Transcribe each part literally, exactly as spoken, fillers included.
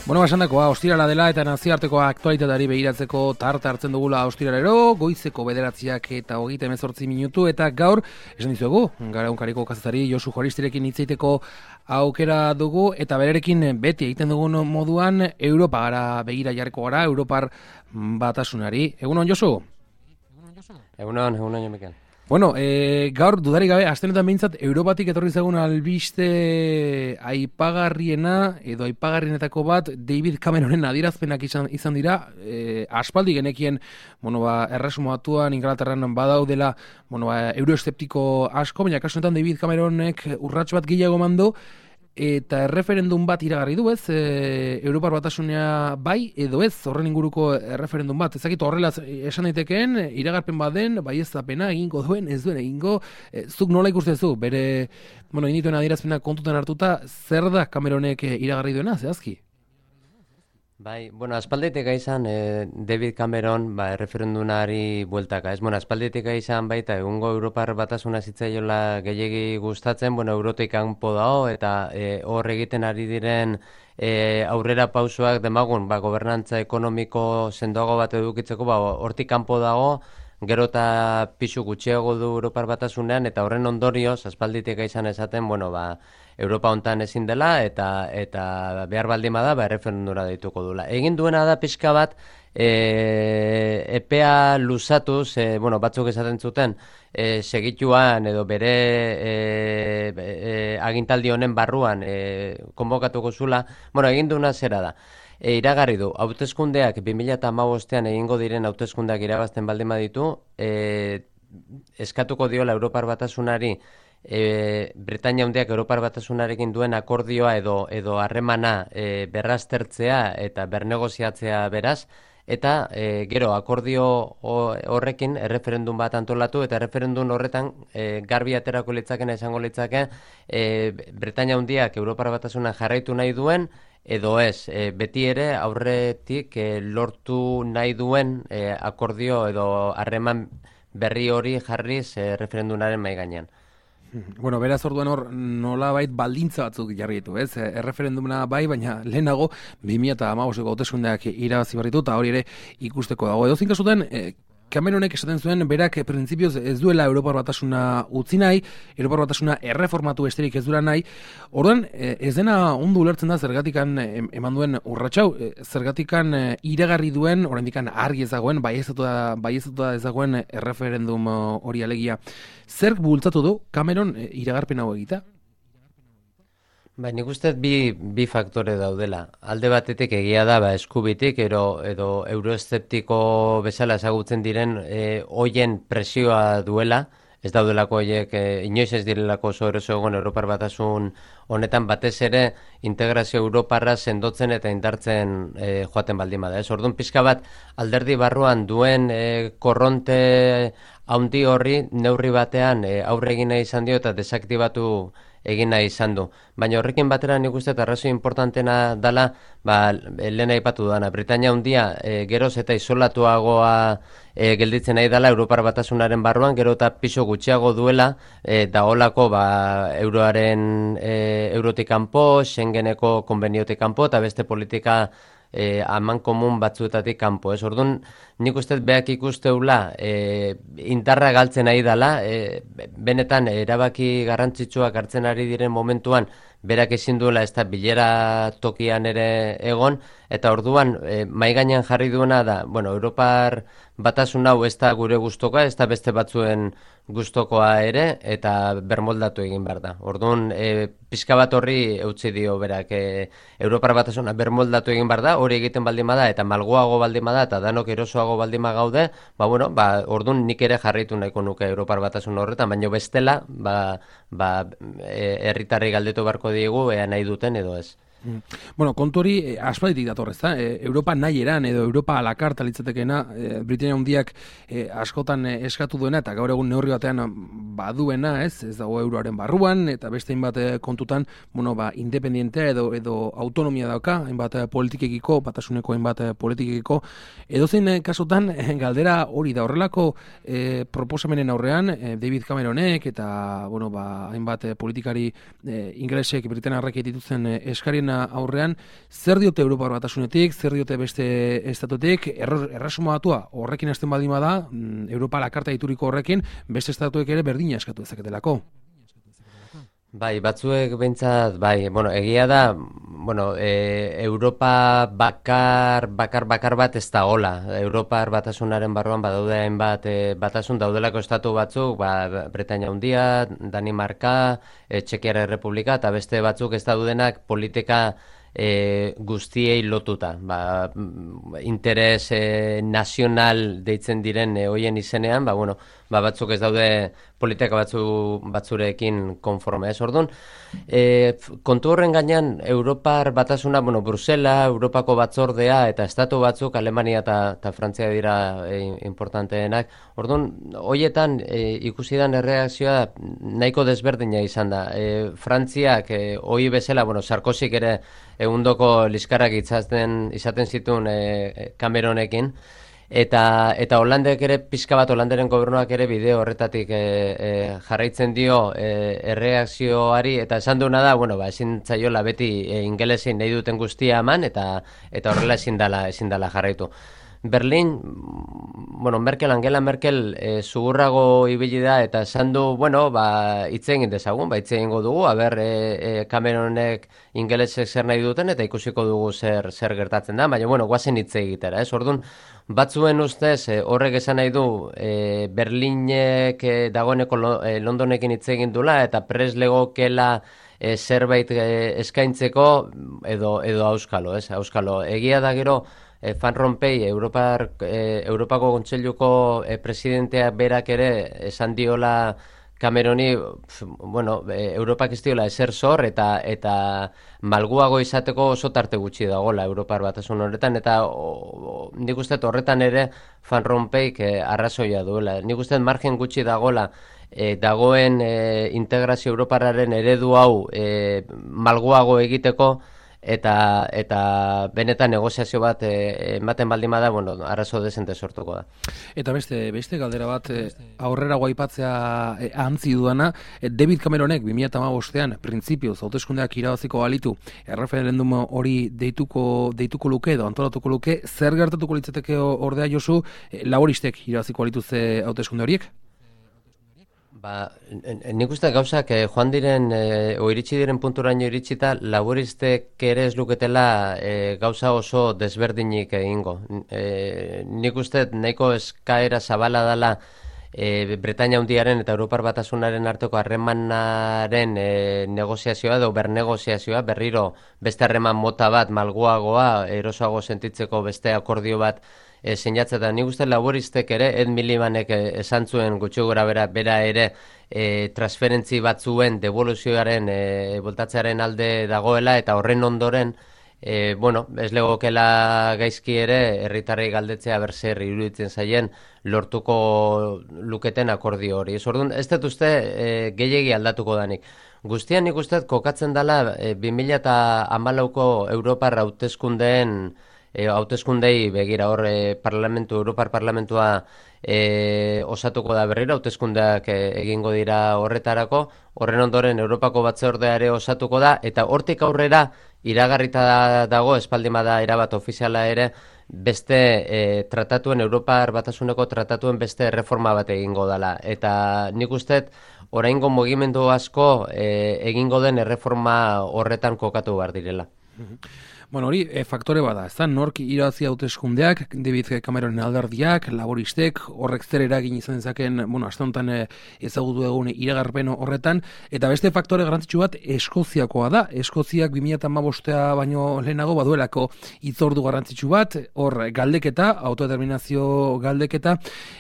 Bueno, basandakoa, ostirala dela eta nazioarteko aktualitateari begiratzeko tarte hartzen dugula ostiralero, goizeko bederatziak eta hogeita hemezortzi minutu, eta gaur, esan dizuegu, gara unkariko kazetari Josu Juaristirekin hitzeiteko aukera dugu, eta berarekin beti egiten dugun moduan, Europa gara begira jarriko gara, Europar batasunari. Egunon, Josu? Egunon, egunon, jo Mikel. Bueno, e, gaur dudarik gabe, astenetan behintzat, Europatik etorri zagun albiste aipagarriena, edo aipagarrienetako bat, David Cameronen adierazpenak izan, izan dira, e, aspaldi genekien, bueno, ba, erresumo batuan, Inglaterran badaudela, bueno, ba, euroesteptiko asko, baina kasu honetan David Cameronek urrats bat gehiago mandu, eta erreferendum bat iragarri du, ez, e, Europar Batasunea bai edo ez, horren inguruko erreferendum bat. Ezakit horrela esan daitekeen, iragarpen baden, bai ez zapena egingo duen, ez duen egingo, e, zuk nola ikustezu, bere, bueno, inituen adierazpenak kontutan hartuta, zer da Cameronek iragarri duena, zehazki? Bai, bueno, aspalditik izan eh, David Cameron ba, erreferendunari bueltaka, ez? Bueno, aspalditik izan baita egungo Europar Batasuna zitzaiola gehiegi gustatzen, bueno, Eurotik kanpo dago eta eh, hor egiten ari diren eh, aurrera pausoak demagun, ba, gobernantza ekonomiko sendoago bat edukitzeko, ba, hortik kanpo dago, gero eta pisu gutxiago du Europar Batasunean, eta horren ondorioz, aspalditik izan esaten, bueno, ba, Europa hontan ezin dela, eta eta behar baldin bada, ba, erreferendura deituko dula. Egin duena da pixka bat, e, epea luzatuz, e, bueno, batzuk esaten zuten, e, segituan edo bere e, e, agintaldi honen barruan e, konbokatuko zula, bueno, egin duena zera da. E, iragarri du, hauteskundeak bi mila hamabostean egingo diren hauteskundeak irabazten baldin baditu, e, eskatuko diola Europar Batasunari E, Britainia Handiak Europar Batasunarekin duen akordioa edo edo harremana e, berraztertzea eta bernegoziatzea beraz, eta e, gero akordio horrekin erreferendum bat antolatu, eta erreferendum horretan e, garbi aterako litzakena izango litzake e, Britainia Handiak Europar Batasuna jarraitu nahi duen edo ez, e, beti ere aurretik e, lortu nahi duen e, akordio edo harreman berri hori jarriz e, referendumaren mahai gainean. Bueno, beraz orduan hor nolabait baldintza batzuk jarri ditu, ez? Erreferendumena bai, baina lehenago bi mila hamabosteko hauteskundeak irabazi berritu, eta hori ere ikusteko dago. Edozein kasutan, eh, Cameronek esaten zuen berak printzipioz ez duela Europar Batasuna utzi nahi, Europar Batasuna erreformatu besterik ez duela nahi. Orduan, ez dena ondo ulertzen da zergatikan eman duen urratxau, zergatikan iragarri duen, oraindikan argi ez dagoen, baieztatuta ez dagoen erreferendum hori alegia. Zerk bultzatu du Cameron iragarpen hau egita? Bai, nik uste bi, bi faktore daudela. Alde batetik egia da, ba, eskubitik, edo, edo euroeszeptiko bezala ezagutzen diren e, hoien presioa duela, ez daudelako horiek, e, inoiz ez direlako oso eroso egon Europar Batasun honetan batez ere integrazio Europarra sendotzen eta indartzen e, joaten baldin bada. Ez orduan pixka bat alderdi barruan duen e, korronte haundi horri neurri batean e, aurre egin nahi izan dio eta desaktibatu egin nahi izan du. Baina horrekin batera nik uste eta arrazoi importantena dala, ba, lehen aipatu dana, Britainia Handia e, geroz eta isolatuagoa e, gelditzen nahi dala Europar Batasunaren barruan, gero eta piso gutxiago duela, e, da holako ba, euroaren e, eurotik kanpo, Schengeneko konbeniotik kanpo, eta beste politika E, aman komun batzuetatik kanpo, ez? Orduan, nik uste beak ikusteula e, indarra galtzen nahi dela, e, benetan erabaki garrantzitsuak hartzen ari diren momentuan berak ezin duela ez da bilera tokian ere egon, eta orduan e, mahai gainean jarri duena da, bueno, Europar Batasun hau ez da gure gustokoa, ez da beste batzuen gustokoa ere, eta bermoldatu egin behar da. Orduan, e, pixka bat horri eutzi dio berak, e, Europar Batasuna bermoldatu egin behar da, hori egiten baldin bada, eta malgoago baldin bada, eta danok erosoago baldin gaude, ba, bueno, ba, orduan nik ere jarraitu nahiko nuke Europar Batasun horretan, baina bestela, ba, ba, herritarrei galdetu beharko diegu, ea nahi duten edo ez. Bueno, kontu hori eh, aspalditik dator, ezta? Eh, Europa nahi eran edo Europa a la carta litzatekeena, eh, Britainia Handiak eh, askotan eh, eskatu duena eta gaur egun neurri batean baduena, ez? Ez dago euroaren barruan eta beste hainbat eh, kontutan, bueno, ba independentea edo edo autonomia dauka, hainbat eh, politikekiko, batasuneko hainbat eh, politikekiko. Edozein eh, kasutan eh, galdera hori da horrelako eh, proposamenen aurrean eh, David Cameronek eta bueno, ba hainbat eh, politikari eh, ingelesek Britainiarrek dituzten eh, eskarien aurrean, zer diote Europar Batasunetik, zer diote beste estatutik, erresuma batua horrekin hasten baldin bada, Europa la karta ituriko horrekin, beste estatuek ere berdina eskatu dezaketelako. Bai, batzuek behintzat, bai, bueno, egia da, bueno, e, Europa bakar, bakar, bakar bat ez da gola. Europar batasunaren barruan badaude hainbat e, batasun daudelako estatu batzuk, ba, Bretainia Handia, Danimarka, e, Txekiar Errepublika, eta beste batzuk ez daudenak politika E, guztiei lotuta, ba, interes e, nazional deitzen diren e, hoien izenean, ba, bueno, ba, batzuk ez daude politika batzu, batzurekin konforme, ez orduan. E, kontu horren gainean, Europar batasuna, bueno, Brusela, Europako batzordea, eta estatu batzuk, Alemania eta Frantzia dira e, importanteenak, orduan, hoietan e, ikusi dan erreakzioa nahiko desberdina izan da. E, Frantziak, e, hoi bezala, bueno, Sarkozik ere egundoko liskarrak izaten, izaten zituen e, Cameronekin, eta eta Holandek ere, pixka bat Holanderen gobernuak ere bideo horretatik e, e, jarraitzen dio e, erreakzioari, eta esan duena da, bueno, ba, ezin zaiola beti e, ingelesin nahi duten guztia eman, eta eta horrela ezin dala, ezin dala jarraitu. Berlin, bueno, Merkel, Angela Merkel e, zugurrago ibili da eta esan du, bueno, ba, hitz egin dezagun, ba, hitz egingo dugu, aber e, e, Cameronek ingelesek zer nahi duten eta ikusiko dugu zer zer gertatzen da, baina, bueno, guazen hitz egitera, ez? Orduan, batzuen ustez, e, horrek esan nahi du, e, Berlinek e, dagoeneko lo, e, Londonekin hitz egin dula eta pres legokela e, zerbait e, eskaintzeko edo, edo auskalo, ez? Auskalo, egia da gero, E, Van Rompuy, Europar, e, Europako Kontseiluko e, presidentea berak ere esan diola Cameroni, bueno, e, Europak ez diola ezer zor eta eta malguago izateko oso tarte gutxi dagoela Europar batasun horretan, eta o, o, nik uste horretan ere Van Rompuyk e, arrazoia duela. Nik uste margen gutxi dagoela e, dagoen e, integrazio Europarraren eredu hau e, malguago egiteko, eta eta benetan negoziazio bat e, ematen baldin bada, bueno, arazo dezente sortuko da. Eta beste beste galdera bat e, aurrera guaipatzea e, ahantzi duana, e, David Cameronek bi mila hamabostean printzipioz hauteskundeak irabaziko balitu, erreferendum hori deituko deituko luke edo antolatuko luke, zer gertatuko litzateke ordea Josu, e, laboristek irabaziko balitu ze hauteskunde horiek? Ba, nik uste gauzak eh, joan diren, eh, o iritsi diren punturaino iritsita, laboristek ere ez luketela eh, gauza oso desberdinik egingo. Eh, nik uste nahiko eskaera zabala dela e, Bretainia Handiaren eta Europar Batasunaren arteko harremanaren e, negoziazioa edo bernegoziazioa, berriro beste harreman mota bat malguagoa, erosoago sentitzeko beste akordio bat E, sinatzeta. Nik uste laboristek ere, Ed Milibandek esan zuen gutxi gora bera, bera ere e, transferentzi batzuen devoluzioaren e, voltatzearen alde dagoela, eta horren ondoren e, bueno, ez legokela gaizki ere herritarrei galdetzea berzer iruditzen zaien lortuko luketen akordio hori. Ez orduan, ez dut uste e, gehiegi aldatuko danik. Guztian nik uste kokatzen dela e, bi mila hamalauko Europar hauteskundeen E, hauteskundei begira hor e, parlamentu, Europar Parlamentua e, osatuko da berriro, hauteskundeak e, egingo dira horretarako, horren ondoren Europako batzordeare osatuko da, eta hortik aurrera iragarrita dago, espaldin bada erabat ofiziala ere, beste e, tratatuen, Europar Batasuneko tratatuen beste reforma bat egingo dela. Eta nik usteet, oraingo mugimendu asko e, egingo den erreforma horretan kokatu behar direla. Bueno, hori e, faktore bada, ez da, nork irabazi hauteskundeak, David Cameronen alderdiak, laboristek, horrek zer eragin izan dezaken, bueno, aste honetan e, ezagutu egun iragarpen horretan, eta beste faktore garrantzitsu bat Eskoziakoa da. Eskoziak bi mila hamabostea baino lehenago baduelako hitzordu garrantzitsu bat, hor galdeketa, autodeterminazio galdeketa,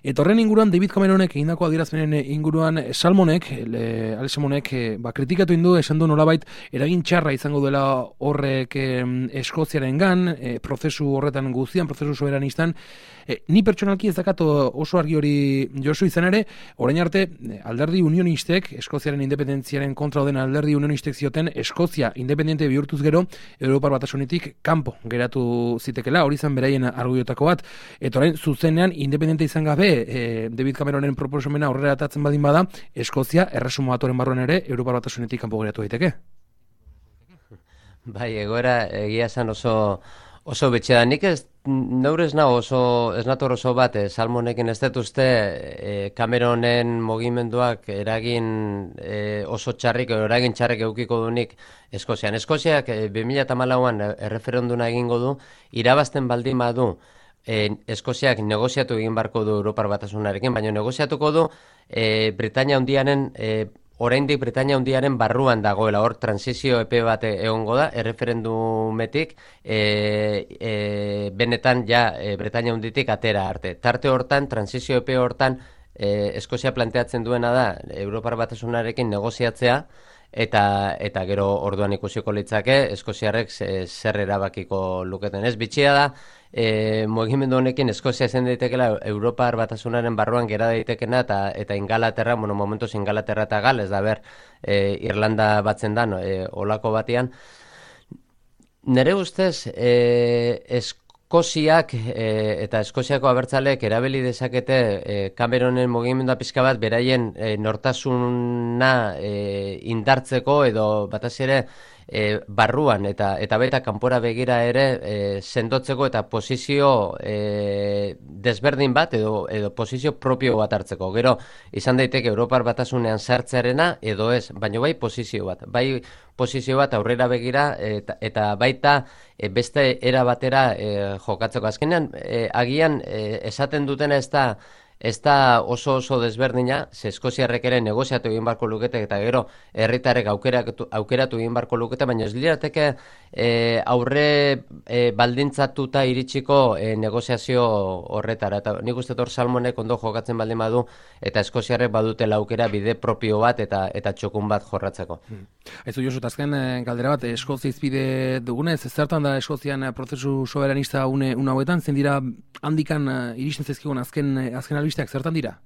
eta horren inguruan David Cameronek egindako adierazpenen inguruan Salmonek, le, Ale Salmonek, e, ba, kritikatu indu, esan du nolabait eragin txarra izango duela horrek e, Eskoziaren gan, e, prozesu horretan guztian, prozesu soberanistan, e, ni pertsonalki ez dakat oso argi hori Josu izan ere, orain arte alderdi unionistek, Eskoziaren independentziaren kontra den alderdi unionistek zioten, Eskozia independente bihurtuz gero, Europar Batasunitik kanpo geratu zitekela, hori izan beraien argudiotako bat, eta orain zuzenean independente izan gabe, e, David Cameronen proposamena aurrera atatzen badin bada, Eskozia erresuma batoren barruan ere, Europar Batasunetik kanpo geratu daiteke. Bai, egoera egia esan oso oso betxe da. Nik ez neure ez nago oso ez nator oso bat, eh, Salmonekin ez dut uste eh, Cameronen mugimenduak eragin eh, oso txarrik, eragin txarrik eukiko dunik Eskozian. Eskoziak eh, bi mila hamalauan erreferenduna egingo du, irabazten baldin badu eh, Eskoziak negoziatu egin barko du Europar Batasunarekin, baina negoziatuko du eh, Britania Handiaren eh, oraindik Britania Handiaren barruan dagoela, hor transizio epe bat egongo da, erreferendumetik e, e, benetan ja e, Britania Handitik atera arte. Tarte hortan, transizio epe hortan, e, Eskozia planteatzen duena da, Europar Batasunarekin negoziatzea, eta eta gero orduan ikusiko litzake Eskoziarrek zer erabakiko luketen. Ez bitxia da, e, mugimendu honekin Eskozia zen daitekela Europar Batasunaren barruan gera daitekena eta eta Ingalaterra, bueno, momentuz Ingalaterra eta Gales da ber, e, Irlanda batzen da, no, e, olako batean. Nere ustez, e, Eskoziak e, eta Eskoziako abertzaleek erabili dezakete e, Cameronen mugimendua pizka bat beraien e, nortasuna e, indartzeko edo bataz ere e, barruan eta eta baita kanpora begira ere e, sendotzeko eta posizio e, desberdin bat edo edo posizio propio bat hartzeko. Gero izan daiteke Europar Batasunean sartzearena edo ez, baina bai posizio bat. Bai posizio bat aurrera begira eta, eta baita e, beste era batera e, jokatzeko. Azkenean e, agian e, esaten dutena ez da ez da oso oso desberdina, ze Eskoziarrek ere negoziatu egin barko lukete eta gero herritarrek aukeratu, aukeratu egin barko lukete, baina ez lirateke e, aurre e, baldintzatuta iritsiko e, negoziazio horretara. Eta nik uste hor Salmonek ondo jokatzen baldin badu eta Eskoziarrek badutela aukera bide propio bat eta eta txokun bat jorratzeko. Hmm. Aizu Josu, azken galdera bat, Eskozia izpide dugunez, zertan da Eskozian prozesu soberanista une, une hauetan, zen dira handikan iristen zaizkigun azken, azken albisteak zertan dira?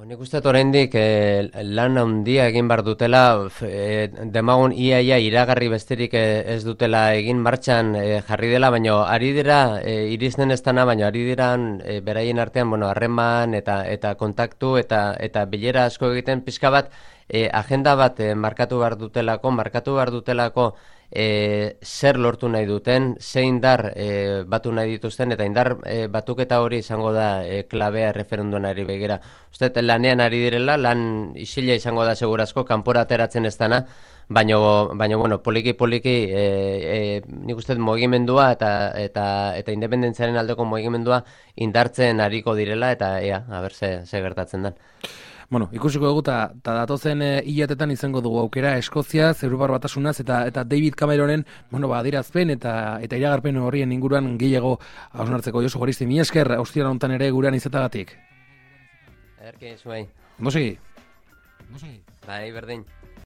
Nik uste oraindik eh, lan handia egin bar dutela, eh, demagun iaia iragarri besterik eh, ez dutela egin martxan eh, jarri dela, baina ari dira eh, iristen ez dana, baina ari diran eh, beraien artean, bueno, harreman eta eta kontaktu eta eta bilera asko egiten pizka bat eh, agenda bat eh, markatu bar dutelako, markatu bar dutelako E, zer lortu nahi duten, ze indar e, batu nahi dituzten, eta indar e, batuketa hori izango da e, klabea referendunari begira. Uste, lanean ari direla, lan isila izango da segurazko, kanpora ateratzen ez dana, baina, baina bueno, poliki-poliki e, e, nik uste mugimendua eta, eta, eta independentziaren aldeko mugimendua indartzen ariko direla, eta ea, haber ze, ze gertatzen den. Bueno, ikusiko dugu eta datozen e, hilatetan izango dugu aukera Eskoziaz, Europar Batasunaz eta eta David Cameronen, bueno, ba, adierazpen eta eta iragarpen horrien inguruan gehiago hausnartzeko. Josu Goristi, mi esker, ostiral honetan ere gurean izatagatik. Ederki, zuei. Ondo segi. Bai, berdin.